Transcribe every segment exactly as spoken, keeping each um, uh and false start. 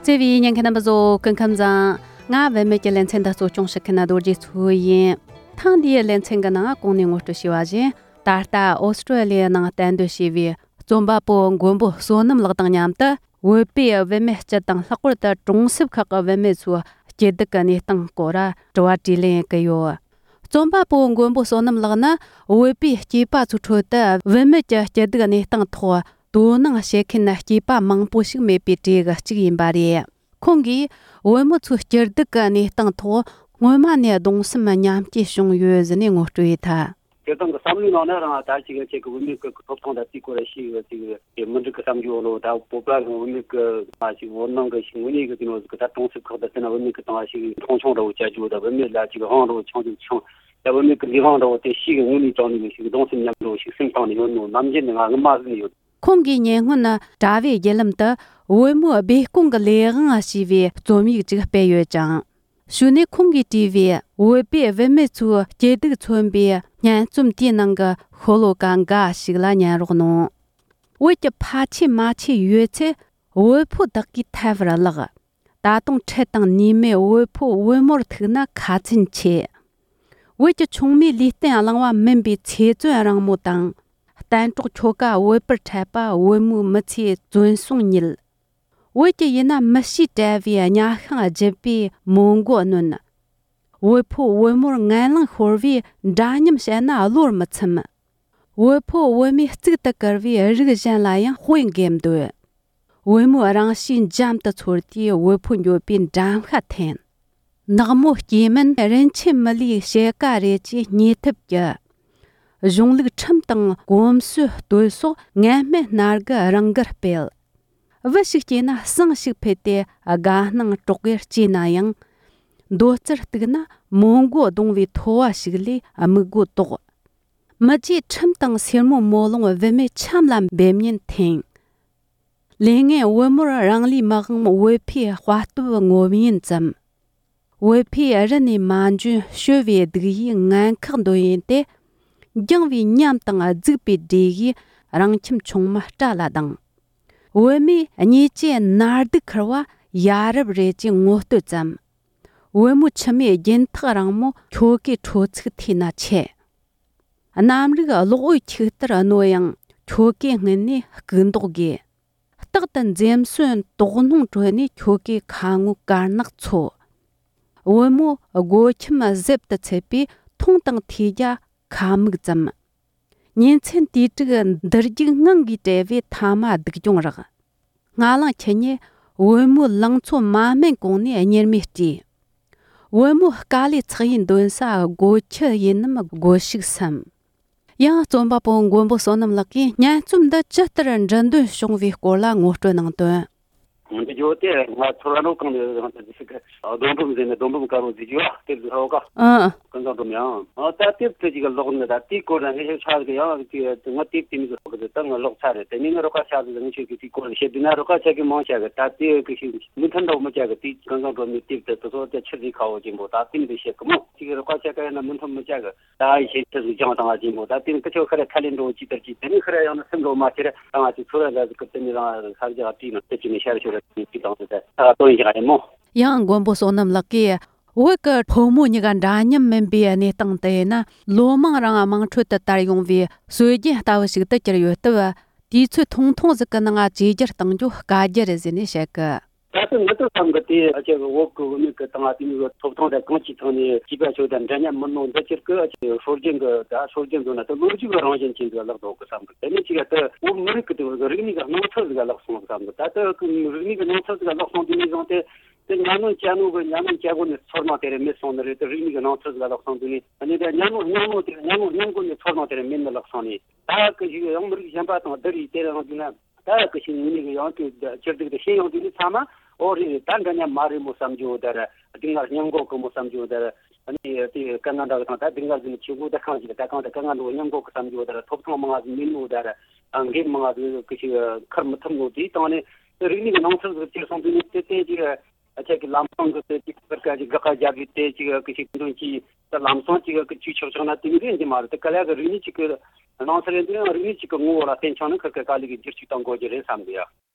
བརྩེ་བའི་ཉན་མཁན་རྣམ་པ་ཚོ་སྐུ་ཁམས་བཟང་། ང་བུད་མེད་ཀྱི་ལེ་ཚན་འདི་གཙོ་སྐྱོང་བྱེད་མཁན་རྡོ་རྗེ་མཚོ་ཡིན། ཐེངས་འདིའི་ལེ་ཚན་གྱི་ནང་གོང་ནས་ངོ་སྤྲོད་བྱས་པ་བཞིན། ད་ལྟ་ཨོ་སི་ཀྲོ་ལི་ཡའི་ནང་གཏན་སྡོད་བྱས་པའི་རྩོམ་པ་པོ་མགོན་པོ་བསོད་ནམས་ལགས་དང་མཉམ་དུ། བོད་པའི་བུད་མེད་སྤྱི་དང་ལྷག་པར་དུ་གྲོང་གསེབ་ཁག་གི་བུད་མེད་ཚོའི་སྐྱིད་སྡུག་གི་གནས་སྟངས་སྐོར་དྲི་བ་དྲིས་ལན་བྱེད་ཀྱི་ཡོད། རྩོམ་པ་པོ་མགོན་པོ་བསོད་ནམས་ལགས་ནི། བོད་པའི་སྐྱེས་པ་ཚོའི་ཁྲོད་དུ་བུད་མེད་ཀྱི་སྐྱིད་སྡུག་གནས་སྟངས་ཐོག་དོ་སྣང་བྱེད་མཁན་སྐྱེས་པ་མང་པོ་ཞིག་མེད་པའི་གྲས་ཀྱི་གཅིག་ཡིན་པ་རེད། ཁོང་གིས། བུ་མོ་ཚོའི་སྐྱིད་སྡུག་གི་གནས་སྟངས་ཐོག་སྔོན་མ་ནས་གདུང་སེམས་མཉམ་སྐྱེད་བྱུང་ཡོད་ཟེར་ནས་ངོ་སྤྲོད་ཡོད་ཐལ། སྤྱིར་བཏང་གི་བསམ་བློའི་ནང་ནས་རང་ད་ཅིག་ཁྱེད་ཀྱི་བུད་མེད་ཀྱི་ཐོབ་ཐང་དང་དེའི་སྐོར་ཞིག་ཅིག་དེ་མི་འགྲིག་གི་བསམ་རྒྱུ་ལོ། ད་བོད་པ་གི་བུད་མེད་ཀྱི་མ་ཞིག་བོད་ནང་གི་ཞིག་དངོས་གནས་གི་དེ་ནོ་ཟིག་གི་ད་གྲོང་གསེབ་ཁག་ད་དེ་ན་བུད་མེད་ཀྱི་སྟེང་ཞིག་མཐོང་ཆུང་འདྲ་བོ་བྱ་རྒྱུ། ད་བུད་མེད་ལ་ཅིག་དབང་འདྲ་བོ་ཆུང་ཅིག་ཆུང་། ད་བུད་མེད་ཀྱི་ལས་དབང་འདྲ་བོ་དེ་ཞིག་གི་དངོས་གནས་དྲང་ནས་ཞིག་གདུང་སེམས་མཉམ་འགྲོ་ཞིག་སེམས་གཏིང་ནས་ཡོད་ནོ་ནམ་རྒྱུན་ནས་ང་ངི་མ་ཟིན་ནས་ཡོད། ཁོང་གིས་ཉེ་སྔོན་དྲ་བའི་བརྒྱུད་ལམ་དུ་བུ་མོའི་སྦས་སྐུང་གི་ལས་དབང་ཞེས་པའི་རྩོམ་ཡིག་ཅིག་སྤེལ་ཡོད་ཅིང་། གཞུག་ནས་ཁོང་གིས་བྲིས་པའི་བོད་པའི་བུད་མེད་ཚོའི་སྐྱིད་སྡུག་མཚོན་པའི་སྙན་རྩོམ་དེའི་ནང་གི་ཤོ་ལོ་ཀ་འགའ་ཞིག་ལ་ཉན་རོགས་གནང་། བོད་ཀྱི་ཕ་ཆོས་མ་ཆོས་ཡོད་ཚད་བོད་ཕོ་དག་གིས་ཐལ་བར་བརླག། ད་དུང་འཕྲལ་དང་ནུས་མེད་བོད་ཕོ་བོད་མོར་ཐུག་ན་ཁ་ཚན་ཆེ། བོད་ཀྱི་ཆུང་མའི་ལུས་རྟེན་བླངས་པ་མིན་པའི་ཚེ་བཙོན་རིང་མོ་དང་། གཏན་གྲོགས་ཁྱོ་ག་བོད་པར་འཕྲད་པ་བོད་མོའི་མི་ཚེའི་བཙོན་སྲུང་ཉིད། བོད་ཀྱི་ཡིན་ན་མི་གཤིས་བྲལ་བའི་གཉའ་ཤིང་བརྗིད་པའི་མོ་མགོ་གནོན། བོད་ཕོ་བོད་མོར་ངན་ལང་ཤོར་བའི་འདྲ་མཉམ་བཤད་ན་བློར་མི་ཚིམ། བོད་ཕོ་བོད་མོས་གཙུག་ཏུ་བཀུར་བའི་རིགས་གཞན་ལ་ཡང་དཔེ་འགེམ་འདོད། བུ་མོའི་རང་གཤིས་འཇམ་དུ་ཚོར་དུས་བུ་ཕོ་འགྱོད་པའི་འགྲམ་ཤ་འཐེན། ནག་མོ་སྐྱེས་མིན་རིན་ཆེན་མི་ལུས་ཕྱེད་ཀ་རེད་ཅེས་བརྙས་ཐབས་ཀྱི། གཞུང་ལུགས་ཁྲིམས་དང་གོམས་སྲོལ་གཏོད་སོགས་ངན་སྨྲས་སྣ་དགུ་རང་དགར་སྤེལ། བུ་ཞིག་སྐྱེས་ན་བསང་ཞིག་ཕུལ་ཏེ་དགའ་སྣང་གྲོགས་ཀྱིས་སྐྱེས་ན་ཡང་། མདོ་རྩར་གཏུགས་ན་མོ་མགོ་གདུང་བའི་ཐོ་བ་ཞིག་ལས་སྨུག་མགོ་དོག། མི་རྗེའི་ཁྲིམས་དང་སེར་མོ་མོ་ལོང་བུད་མེད་ཆམ་ལ་འབེབས་ཉེན་འཐེན། ལས་ངན་བུ་མོར་རང་ལུས་མི་དབང་བོད་ཕོའི་དཔའ་སྟོབས་ངོམ་ཡུན་ཙམ། བོད་ཕོས་རི་ནས་མ་འཇོན་ཤོད་པའི་སྡུག་ཡུས་ངན་ཁག་འདོན་ཡུན་ཏེ། འགྱིང་བའི་ཉམས་དང་རྫིག་པའི་འདྲེ་ཡིས་རང་ཁྱིམ་ཆུང་མ་སྐྲ་ལ་ལྡང་། བུད་མེད་གཉིས་ཀྱི་ནར་སྡུག་ཁུར་བ་ཡ་རབས་རེད་ཅེས་ངོ་བསྟོད་ཙམ། བུ་མོའི་མཆི་མའི་རྒྱུན་ཐག་རིང་མོ་ཁྱོ་གའི་ཁྲོ་ཚིག་ཐོས་ན་ཆེ། གནམ་རིག་གློག་འོད་ཆིག་ལྟར་རྣོ་ཡང་ཁྱོ་གའི་སྔུན་ནས་སྐུ་མདོག་དགོས། རྟག་ཏུ་འཛེམ་ཟོན་དོགས་སྣང་གྲོལ་ནས་ཁྱོ་གའི་ཁ་ངོ་དཀར་ནག་འཚོ། བུ་མོ་སྒོ་ཁྱིམ་གཟེབ་ཏུ་ཚུད་པའི་མཐོང་དང་ཐོས་རྒྱ་ཁ་མིག་ཙམ། ཉིན་མཚན་དུས་དྲུག་འདུར་རྒྱུག་ངང་གིས་བྲལ་བའི་ཐ་མ་སྡུག་གྱོང་རག། སྔ་ལངས་ཁྱི་ཉིད་བུ་མོའི་ལང་ཚོ་མ་སྨད་གོང་ནས་གཉེར་མས་བྲིས། བུ་མོའི་དཀའ་ལས་ཚགས་ཡིན་འདོན་ས་སྒོ་ཁྱི་ཡིན་ནམ་སྒོ་ཕྱུགས་སམ། ཡང་རྩོམ་པ་པོ་མགོན་པོ་བསོད་ནམས་ལགས་ཀྱིས་སྙན་རྩོམ་འདི་ཇི་ལྟར་འབྲི་འདོད་བྱུང་བའི་སྐོར་ལ་ངོ་སྤྲོད་གནང་དོན། འདི་ཇོ་དེ་ང་ཚོར་ར་ནོ་གང་ནས་རང་དུ་ཟིག་གི་རྡོ་འབུམ་ཟེར་ནས་རྡོ་འབུམ་དཀར་པོ་ཟིག་ཡོད་དེབ་ཟིག་ཧོ་ག་ཨ། ཀུན་བཟང་སྒྲོལ་མ་ཡང་། ཨ་ད་དེབ་དེ་ཅིག་ཀློག་ནི་ད་དེའི་སྐོར་ན་ངས་ཤེས་ཆ་ཟིག་ཡང་ཅིག་ང་དེབ་དེ་མི་ཟིག་ཧོ་གི་ཟིག་ད་ང་ཀློག་ཚར་རེད། དེ་ནས་ངས་རོགས་ཁ་ཆ་ཟིག་ངས་ཤེས་གི་དེའི་སྐོར་ནས་བཤད་དུས་ན་རོགས་ཁ་ཆ་གི་མང་ཆ་གི་ད་དེ་གི་ཤིག་མི་ཐུན་འདྲ་བོ་མི་ཆ་གི་དེ་ཀུན་བཟང་སྒྲོལ་མའི་དེབ་དེ་དེ་ཚོ་དེ་ཆི་ཟིག་ཁ་བོ་ཅན་པོ་ད་དེ་མི་ཟིག་བཤད་གི་མོ་ཅིག་རོགས་ཁ་ཆ་གི་ཡང་ན་མི་ཐུན་མི་ཆ་གི་ད་ཡི་ཤེས་ཆི་ཟིག་ཅང་དང་ཨ་ཅན་པོ་ད་དེ་ནི་ཁི་ཆོ་ཁ་ར་ཁ་ལེན་འགྲོ་ཅིག་དར་ཅིག་དེ་ནི་ཁི་ར་ཡང་ན་སེམས་འགྲོ་མ་ཁྱེར་དང་ཨ་ཅིག་ཚོ་ར་ལ་ཟིག་གི་དེ་ནི་རང་ས་རྒྱ་བྲིས་ནང་དེ་ཅི་ནས་ཤར་ཤོར་ར་ཅིག་དང་དེ་ད་ད་དོན་ཡག་ཡིན་མོ། ཡང་མགོན་པོ་བསོད་ནམས་ལགས་ཀྱིས། བོད་ཀྱི་ཕོ་མོ་གཉིས་ཀ་འདྲ་མཉམ་མིན་པའི་གནས་སྟངས་དེ་ཡིན་ན། ལོ་མང་རིང་དམངས་ཁྲོད་དུ་དར་ཡོང་བའི་སྲོལ་རྒྱུན་ལྟ་བུ་ཞིག་ཏུ་གྱུར་ཡོད་སྟབས། དུས་ཚོད་ཐུང་ཐུང་ཟིག་གི་ནང་བཅོས་བསྒྱུར་གཏང་རྒྱུ་དཀའ་རྒྱུ་རེད་ཟེར་ནས་བཤད་གི། ད་ལྟ་ང་ཚོ་བསམ་གི་དེ་ཨ་ཅག་གི་བོད་ཀྱི་བུད་མེད་ཀྱི་དང་ཨ་དེ་གཉིས་ཀྱི་ཐོབ་ཐང་དང་གང་ཅིའི་ཐོག་ནས་སྐྱེས་པ་ཆོས་དང་འདྲ་མཉམ་མིན་ནོ་འདི་ཕྱིར་གི་ཨ་ཅག་སྲོལ་རྒྱུན་གི་ད་སྲོལ་རྒྱུན་འདོད་ན་ད་ལོ་རྒྱུས་ཀྱི་རང་བཞིན་ཅན་ཟིག་ལག་འགྲོ་གི་བསམ་གི། དེ་ནས་ཅིག་ཨ་ད་བོད་མི་རིགས་ཀྱི་དེ་རིག་གནས་ཀྱི་སྣང་ཚུལ་ཟིག་ལག་སོང་བསམ་གི། ད་ལྟ་གི་རིག་གནས་ཀྱི་སྣང་ཚུལ་ཟིག་ལག་སོང་དུས་ནས་བཟུང་སྟེ། དེ་ཉམས་མྱོང་སྐྱེ་ནོ་གི་ཉམས་མྱོང་སྐྱེ་སྒོ་ནས་ཚོར་སྣང་དེ་རེད་མེད་སོང་ནི་རེད། དེ་རིག་གནས་ཀྱི་སྣང་ཚུལ་ཟིག་ལ་ལོག་སོང་དུས་ནས་ཨ་ནི་དེ་ཉམས་མྱོང་སྙིང་ནོ་དེ་ཉམས་མྱོང་སྙིང་སྒོ་ནས་ཚོར་སྣང་དེ་རེད་མེད་ནི་ལོག་སོང་ནས། ད་གི་ཞིག་ཡང་མི་རིགས་གཞན་པ་དང་བསྡུར་ཡིས་དེ་རང་དུས་ན་ད་གི་ཞིག་ངོས་ནས་གི་ཡང་དེ་སྤྱིར་སྡུག་དེ་ཤེས་ཡོང་དུས་ནས་ཚང་མ་ཨོ་རེད་རེད། ད་འདྲ་མཉམ་མ་རེད་མོ་བསམ་རྒྱུ་དེ་རེད། སྡུག་བསྔལ་སྙིང་གོ་གི་མོ་བསམ་རྒྱུ་དེ་རེད། ཨ་ནི་དེ་དཀའ་ངལ་འདྲ་གི་དང་ད་སྡུག་བསྔལ་ཟིན་ཆེ་གོ་ད་གང་ཞིག་ད་གང་ད་དཀའ་ངལ་འགྲོ་སྙིང་གོ་གི་བསམ་རྒྱུ་དེ་རེད། ཐོབ་ཐང་མང་ང་ཟིན་མིན་ནོ་དེ་རེད། འགན་མང་ང་ཟིན་གི་ཞིག་ཁུར་མི་ཐུབ་ནོ་དེའི་སྟེང་ནས། རིག་གནས་ཀྱི་སྣང་ཚུལ་ཟིག་ཅིག་སོང་དུས་ནས་དེ་དེ་ཅིག་ཨ་ཅག་གི་ལམ་སང་གི་དེ་ཅིག་ཀར་ཀ་ཅིག་དགག་པ་རྒྱག་གི་དེ་ཅིག་གི་ཞིག་འདོན་གྱིས་ད་ལམ་སང་ཅིག་གི་ཅིག་ཆོག་ཆོག་ན་དེ་མི་རེད་འདི་མ་རེད། དེ་ག་ལ་གི་རིག་གནས་ཅིག་གི་ སྣང་ཚུལ་ཡིན་དུས་ཡང་རིག་གནས་གཅིག་གི་ངོ་བོ་ལ་བརྟེན་ཆོག་ན་ཁིར་གི་དཀའ་ལས་ཀྱི་བསྒྱུར་བཅོས་གཏོང་དགོས་རྒྱུ་རེད་བསམ་གི་ཡ།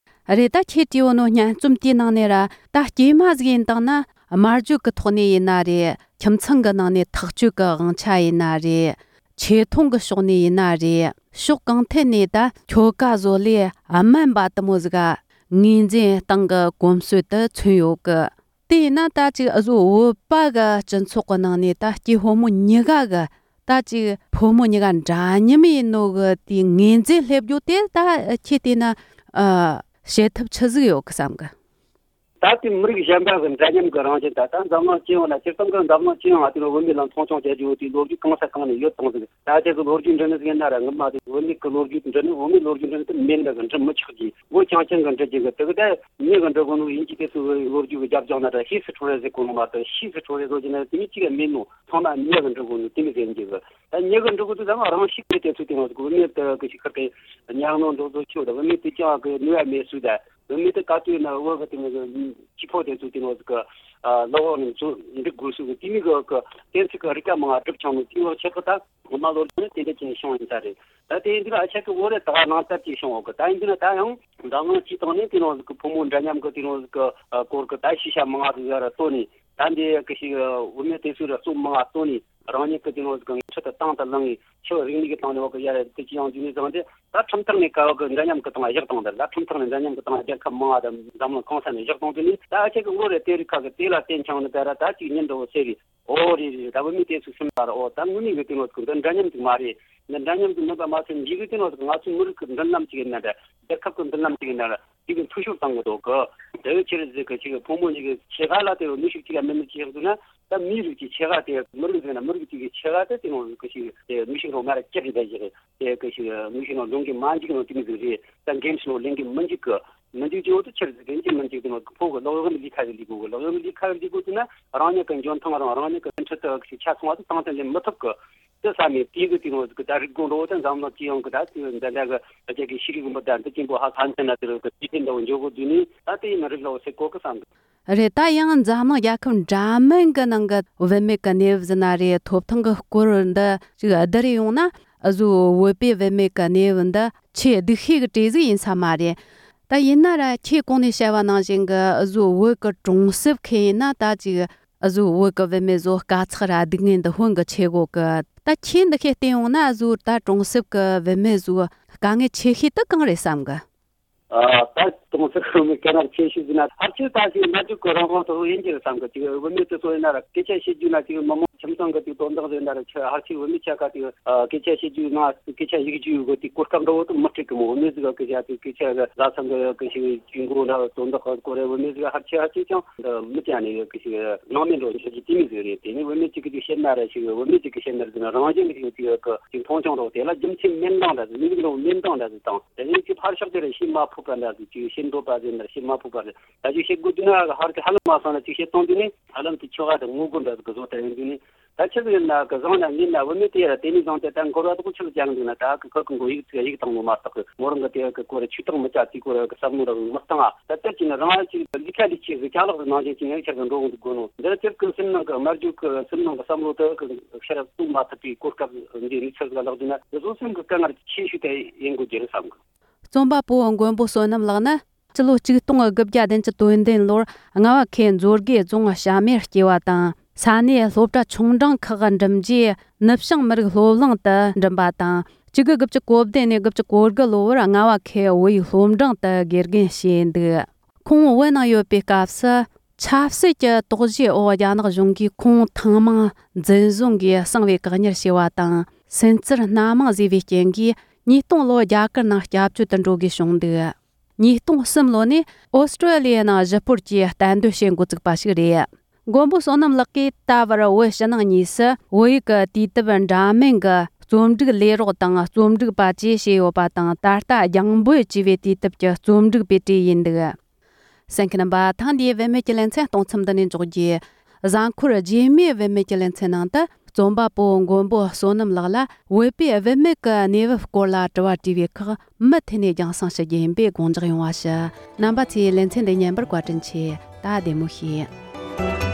རེད། ད་ཁྱེད་བྲིས་ཡོད་ནོ་སྙན་རྩོམ་དེའི་ནང་ནས་ར་ད་སྐྱེས་མ་ཟིག་ཡིན་བཏང་ན་སྨྲ་བརྗོད་ཀྱི་ཐོག་ནས་ཡིན་ན་རེད། ཁྱིམ་ཚང་གི་ནང་ནས་ཐག་གཅོད་ཀྱི་དབང་ཆ་ཡིན་ན་རེད། ཆེ་མཐོང་གི་ཕྱོགས་ནས་ཡིན་ན་རེད། ཕྱོགས་གང་ཐད་ནས་ད་ཁྱོ་ག་བཟོ་ལས་དམན་པ་དུ་མོ་ཟིག་ག་ངོས་འཛིན་སྟངས་ཀྱི་གོམས་སྲོལ་དུ་མཚོན་ཡོད་གི། དེ་ཡིན་ན་ད་ཅིག་འུ་ཟོ་བོད་པ་གི་སྤྱི་ཚོགས་ཀྱི་ནང་ནས་ད་སྐྱེས་ཕོ་མོ་གཉིས་ཀ་གི་ད་ཅིག་ཕོ་མོ་གཉིས་ཀ་འདྲ་མཉམ་ཡིན་ནོ་གི་དེའི་ངོས་འཛིན་སླེབས་རྒྱུ་དེ་ད་ཁྱེད་བལྟས་ན་ཨ་བྱེད་ཐབས་ཆི་ཟིག་ཡོད་གི་བསམ་གི། ད་དེ་མི་རིགས་གཞན་པ་གི་འདྲ་མཉམ་གི་རང་བཞིན་ད་ལྟ་འཛམ་གླིང་སྤྱི་ཡོངས་ལ་སྤྱིར་བཏང་གི་འཛམ་གླིང་སྤྱི་ཡོངས་ལ་དེ་ནི་བུད་མེད་ལ་མཐོང་ཆུང་བྱེད་རྒྱུ་དེའི་ལོ་རྒྱུས་གང་ས་གང་ནས་ཡོད་བཏང་ཟིག་ད་ཆ་གི་ལོ་རྒྱུས་འབྲི་ནི་ཟིག་ཡིན་ན་ར་ངོ་མ་དེ་བུད་མེད་གི་ལོ་རྒྱུས་འབྲི་ནི་བུད་མེད་ལོ་རྒྱུས་འབྲི་ནི་དེ་མེད་འདྲ་གི་འབྲི་མི་ཆོག་གི། བོད་རྐྱང་རྐྱང་གི་འབྲི་རྒྱུ་གི་དེ་གི་ད་མྱི་གི་འབྲི་གོ་ནོ་ཡིན་གྱི་དེ་ཚོ་གི་ལོ་རྒྱུས་གི་རྒྱབ་ལྗོངས་ན་ད་ཤེས་སུ་འཁྲུངས་རེ་ཟེར་གོ་ནོ་མ་གཏོགས་ཤེས་སུ་འཁྲུངས་རེ་ཟོ་གྱི་ན་དེ་མི་གཅིག་ག་མེད་ནོ། ཚང་མ་མྱི་གི་འབྲི་གོ་ནོ་དེ་མི་ཟེར་གྱི་གི་ད་མྱི་གི་འབྲི་གོ་དུ་ཚང་མ་རང་ཤུགས་ཀྱིས་དེ་ཚོ་དེ་ནོ་གི་བུད་མེད་དེ་གི་ཤི་ཁར་དེ་ཉག་ནོ་འགྲོ་ཚོ་ཆོད་ད་བུད་མེད་དེ་ཀྱང་གི་ནུས་པ་མེད་སུ་ད་བུད་མེད་དེ་ག་དུས་ན་བོད་གི་དེ་ནོ་གི་སྐྱེས་ཕོ་དེ་ཚོ་དེ་ནོ་གི་ལོ་འོག་ནས་ཚོ་འབྲི་དགོས་སུ་གི་དེ་མི་གི་གི་གཏན་ཚིགས་གི་རིག་པ་མང་བ་སྒྲུབ་ཆོག་ནོ་དེ་བོ་ཆེ་གི་ད། ངོ་མ་ལོ་རྒྱུས་ནི་དེ་འདྲ་ཅིག་ནས་བྱུང་ཡིན་ས་རེད། ད་དེ་ཡིན་དུས་ཨ་ཆ་གི་བོད་རེ་ད་ག་ནང་ལྟར་ཅིག་བྱུང་འོག་གི་ད་ཡིན་དུས་ན་ད་ཡང་འཛམ་གླིང་སྤྱི་དང་ནི་དེ་རང་ཟིག་གི་ཕོ་མོ་འདྲ་མཉམ་གི་དེ་རང་ཟིག་གི་སྐོར་གི་ད་ཤེས་བྱ་མང་ང་ཟིག་ཡ་ར་བཏོན་ནས་ད་འདི་གི་ཞིག་བུད་མེད་དེ་ཚོའི་ར་རྩོམ་མང་ང་བཏོན་ནས་རང་ཉིད་གི་དེ་རང་ཟིག་གི་ངས་ཁྲི་དུ་བཏང་དུ་བླངས་ངས་ཁྱི་རིག་གནས་ཀྱི་སྟེང་ནས་འོག་གི་ཡ་ར་དེ་ཅི་ཡང་འཇུས་ནས་བཟང་སྟེ་ད་ཁྲིམས་ཐོག་ནས་ཀ་བ་གི་འདྲ་མཉམ་གི་སྟེང་ལ་བཞག་བཏང་དེ་ད་ཁྲིམས་ཐོག་ནས་འདྲ་མཉམ་གི་སྟེང་ལ་རྒྱལ་ཁབ་མང་ང་དང་འཛམ་གླིང་གང་ས་ནས་བཞག་བཏང་དེ་ནས་ད་ཨ་ཆ་གི་བོད་རེ་དེ་རིགས་ཁ་གི་དེ་ལ་བརྟེན་ཆང་ནི་ད་ར་ད་ཅིག་ཉིན་འགྲོ་བོ་ཟེར་རེད། ཨོ་རེད་རེད། ད་བུད་མེད་དེ་ཚོས་སེམས་པ་ར་ཨོ་ད་དངོས་གནས་གི་དེ་ནོ་ཟིག་འདི་འདྲ་མཉམ་ཟིག་མ་རེད། འདི་འདྲ་མཉམ་ཟིག་མིན་པ་མ་ཚད་འཇིག་གི་དེ་ནོ་ཟིག་ང་ཚོའི་མི་རིགས་ཀྱི་མདུན་ལམ་ཅིག་ཡིན་ན་འདྲ་རྒྱལ་ཁབ་ཀྱི་མདུན་ལམ་ཅིག་ཡིན་ན་འདྲ་དེ་གི་འཐུས་ཤོར་བཏང་གི་འདུག་གི། དེ་བས་ཆེ་རེད་ཟིག་གི་ཅིག་ཕོ་མོ་ཉིད་ཀྱི་ཆེ་ཁ་ལ་དེ་ནུས་ཤུགས་ཅིག་ཡང་མི་ནུས་ཅིག་ཡག་འདུག་ན་ད་མིའི་རིགས་ཀྱི་ཆེ་ཁ་དེ་མི་རིགས་ཟིག་ན་མི་རིགས་ཅིག་གི་ཆེ་ཁ་དེ་དེ་ནོ་ཟིག་གི་ཅིག་དེ་ནུས་ཤུགས་རོ་མ་ར་ཅི་རེད་ད་ཅིག་རེད། དེ་གི་ཞིག་ནུས་ཤུགས་ནང་ལོང་གི་མ་འཇིག་ནོ་དེ་མི་ཟིག་རེད། ད་འགེམས་ཤིང་ལེན་གི་མི་འཇིག་གི། མི་འཇིག་ཅིག་འོ་དུ་ཆེར་ཟིག་གི་འཇིག་མི་འཇིག་དེ་ནོ་ཕོ་གི་ལོག་གཡོག་ལས་ཁ་གི་ལས་གོ་གི་ལོག་གཡོག་ལས་ཁ་གི་ལས་གོ་དུ་ན་རང་ཉིད་གི་འཇོན་ཐང་རང་རང་ཉིད་གི་འཕྲུལ་དུ་ཆ་ཚང་བ་དུ་དང་དུ་ལེན་མི་ཐུབ་གི། དེ་ས་ནས་དེ་གི་དེ་ནོ་གི་ད་རིག་གོ་འགྲོ་བོ་དུ་འཛམ་གླིང་སྤྱི་ཡོངས་གི་ད་དེ་འདི་འདྲ་གི་རྒྱ་གི་ཤེས་རིག་མི་ད་འདི་ཅན་པོ་ཧ་ཧ་འཐེན་ན་དེ་རུ་གི་དེ་དེ་འདྲ་བོ་འཇོག་གོ་དུས་ནི་ད་དེ་ཡིན་རིག་ལོ་ཟེར་གོ་གི་བསམ་གི། རེད། ད་ཡང་འཛམ་གླིང་རྒྱལ་ཁབ་འདྲ་མིན་གྱི་ནང་གི་བུད་མེད་ཀྱི་གནས་བབ་ཟིན་ན་རེད། ཐོབ་ཐང་གི་སྐོར་འདི་ཅིག་བསྡུར་ཡོང་ན་གཟོད་བོད་པའི་བུད་མེད་ཀྱི་གནས་བབ་འདི་ཆེས་སྡུག་ཤོས་ཀྱི་གྲས་ཟིག་ཡིན་ས་མ་རེད། ད་ཡིན་ན་ར་ཁྱེད་གོང་ནས་བཤད་པ་ནང་བཞིན་གྱི་གཟོད་བོད་ཀྱི་གྲོང་གསེབ་ཁེ་ཡིན་ན་ད་ཅིག་གཟོད་བོད་ཀྱི་བུད་མེད་ཚོ་དཀའ་ཚེགས་ར་སྡུག་བསྔལ་འདི་ཧོན་གྱི་ཆེ་གོ་གི། ད་ཁྱེད་འདི་ཁེ་བལྟས་ཡོང་ན་གཟོད་ད་གྲོང་གསེབ་ཀྱི་བུད་མེད་ཚོ་དཀའ་ངལ་ཆེ་ཤོས་དེ་གང་རེད་བསམ་གི། ཨ་ད་གྲོང་གསེབ་ཁང་མི་སྐད་ནར་ཆེ་ཤོས་ཟིན་ན་ཕལ་ཆེར་ད་ཞིག་སྨྲ་བརྗོད་ཀྱི་རང་དབང་དུ་ཡིན་གྱི་རེད་བསམ་གི། ཅིག་བུད་མེད་དེ་ཚོ་ཡིན་ན་ར་སྐད་ཆ་བཤད་རྒྱུ་ན་ཅིག་མི་མང་ཁྱིམ་ཚང་གི་ཅིག་དོན་དག་ཟིན་ན་ར་ཆེ་ཕལ་ཆེར་བུད་མེད་ཆ་ག་ཅིག་སྐད་ཆ་བཤད་རྒྱུ་ན་སྐད་ཆ་ཡིག་རྒྱུ་ཡོད་གི་དེ་གོ་སྐབས་འདྲ་བོ་དུ་མི་སྤྲད་གི་མོ། བུད་མེད་ཟིག་གི་སྐད་ཆ་དེ་སྐད་ཆ་གི་བཟའ་ཚང་གི་གི་ཞིག་ཅིག་མགོ་ན་དོན་དག་གི་སྐོར་རེ་བུད་མེད་ཟིག་ཕལ་ཆེར་ཕལ་ཆེར་ཀྱང་མི་ཅན་ནས་གི་ཞིག་སྣང་མེད་འགྲོ་འཇོག་རྒྱུ་དེ་མི་ཟིག་རེད། དེ་ནི་བུད་མེད་ཅིག་གི་ཅིག་བཤད་ན་ར་ཞིག་བུད་མེད་ཅིག་གི་བཤད་ན་ར་ཟིན་ན་རང་བཞིན་གི་ཅིག་ཅིག་གི་ཅིག་མཐོང་ཆུང་རོགས་དེ་ལ་རྒྱུ་མཚན་མེད་འདང་འདྲ་ཟིག་མི་ཟིག་རོགས་མེད་འདང་འདྲ་ཟིག་དང་། དེ་ནས་ཅིག་ཕར་ཕྱོགས་དེ་རེད། ཤེས་མ་ཕོད་པ་འདྲ་ཟིག་ཅིག་ཤེས་འདོད་པ་ཟེར་ན་ཤེས་མ་ཕོད་པ་རེད། ད་ཅིག་བཤད་དགོས་དུས་ན་ཧར་གི་ཧ་ལམ་མ་སོང་ན་ཅིག་བཤད་གཏོང་དུས་ནས་ཧ་ལམ་དེ་ཁྱོ་ག་དང་ངོ་རྒོལ་འདྲ་ཟིག་གི་བཟོ་ལྟ་ཡོང་དུས་ནས་ད་ཆི་ཟིག་ཡིན་ན་གི་བཟང་ན་ངན་ན་བུད་མེད་དེ་ཡ་ར་དེ་ནས་བཟང་སྟེ་ད་འགོར་བ་དག་ཆི་ཟིག་ཀྱང་འདུག་ན་ད་གི་ཁོ་གི་མགོ་ཡིག་ཚིག་ཡིག་བཏང་ནོ་མ་གཏོགས་གི་མོ་རང་གི་དེ་གི་སྐོར་ཆུ་བཏང་མི་བྱ་དེ་སྐོར་གི་བསམ་བློ་ར་མི་བཏང་ཨ། ད་དེར་ཅིག་ན་རང་ཨ་ཅིག་ལི་ཁ་ལི་ཁྱི་ཟིག་ཅ་ལག་ཟིག་ནང་བཞིན་ཅིག་ངས་ཁྱེར་གི་འགྲོ་འོང་དུ་དགོས་ནོ་འདིར་ཅིག་གི་སེམས་ནང་གི་སྨྲ་བརྗོད་གི་སེམས་ནང་གི་བསམ་བློ་དེ་གི་ཤར་བཏུབ་མ་ཐུབ་པའི་གོ་སྐབས་འདི་རིག་ཚུལ་ཟིག་ལག་འདུག་ན་འདི་བཟོ་སེམས་གི་དཀའ་ངལ་ཆེ་ཤོས་དེ་ཡིན་དགོས་རྒྱུ་རེད་བསམ་གི། རྩོམ་པ་པོ་མགོན་པོ་བསོད་ནམས་ལགས་ནི་སྤྱི་ལོ་ཆིག་སྟོང་དགུ་བརྒྱ་བདུན་ཅུ་དོན་བདུན་ལོར་རྔ་བ་ཁུལ་མཛོད་དགེ་རྫོང་བྱམས་མེར་སྐྱེས་པ་དང་། ས་གནས་སློབ་གྲྭ་ཆུང་འབྲིང་ཁག་འགྲིམས་རྗེས་ནུབ་བྱང་མི་རིགས་སློབ་གླིང་དུ་འགྲིམས་པ་དང་། ཆིག་སྟོང་དགུ་བརྒྱ་དགུ་བཅུ་གོ་བདུན་ནས་དགུ་བཅུ་གོ་དགུ་ལོ་བར་རྔ་བ་ཁུལ་བོད་ཡིག་སློབ་འབྲིང་དུ་དགེ་རྒན་བྱས་འདུག་ཁོང་བོད་ནང་ཡོད་པའི་སྐབས་སུ། ཆབ་སྲིད་ཀྱི་དོགས་གཞིའི་འོག་རྒྱ་ནག་གཞུང་གིས་ཁོང་ཐེངས་མང་འཛིན་བཟུང་གིས་གསང་བའི་བཀག་ཉར་བྱས་པ་དང་། སུན་གཙེར་སྣ་མང་བཟོས་པའི་རྐྱེན་གྱིས་ཉིས་སྟོང་ལོར་རྒྱ་གར་ནང་སྐྱབས་བཅོལ་དུ་འགྲོ་དགོས་བྱུང་འདུག་ཉིས་སྟོང་གསུམ་ལོ་ནས་ཨོ་སི་ཀྲོ་ལི་ཡའི་ནང་ཞི་སྤོར་གྱིས་གཏན་སྡོད་བྱེད་འགོ་བཙུགས་པ་ཞིག་རེད། མགོན་པོ་བསོད་ནམས་ལགས་ཀྱིས་ད་བར་བོད་ཕྱི་ནང་གཉིས་སུ་བོད་ཡིག་གི་དུས་དེབ་འདྲ་མིན་གྱི་རྩོམ་སྒྲིག་ལས་རོགས་དང་རྩོམ་སྒྲིག་པ་བཅས་བྱས་ཡོད་པ་དང་། ད་ལྟ་རྒྱང་འབོད་ཅེས་པའི་དུས་དེབ་ཀྱི་རྩོམ་སྒྲིག་པའི་གྲས་ཡིན་འདུག་གསན་མཁན་རྣམ་པ། ཐེངས་འདིའི་བུད་མེད་ཀྱི་ལེ་ཚན་གཏོང་མཚམས་འདི་ནས་འཇོག་རྒྱུ། གཟའ་འཁོར་རྗེས་མའི་བུད་མེད་ཀྱི་ལེ་ཚན་ནང་དུ་རྩོམ་པ་པོ་མགོན་པོ་བསོད་ནམས་ལགས་ལ་བོད་པའི་བུད་མེད་ཀྱི་གནས་བབ་སྐོར་ལ་དྲི་བ་དྲིས་པའི་ཁག་མུ་མཐུད་ནས་རྒྱང་སྲིང་ཞུ་རྒྱུ་ཡིན་པས་དགོངས་འཇགས་ཡོང་བ་ཞུ། རྣམ་པ་ཚོས་ལེ་ཚན་འདི་ཉན་པར་བཀའ་དྲིན་ཆེ། ད་བདེ་མོ་བྱོས།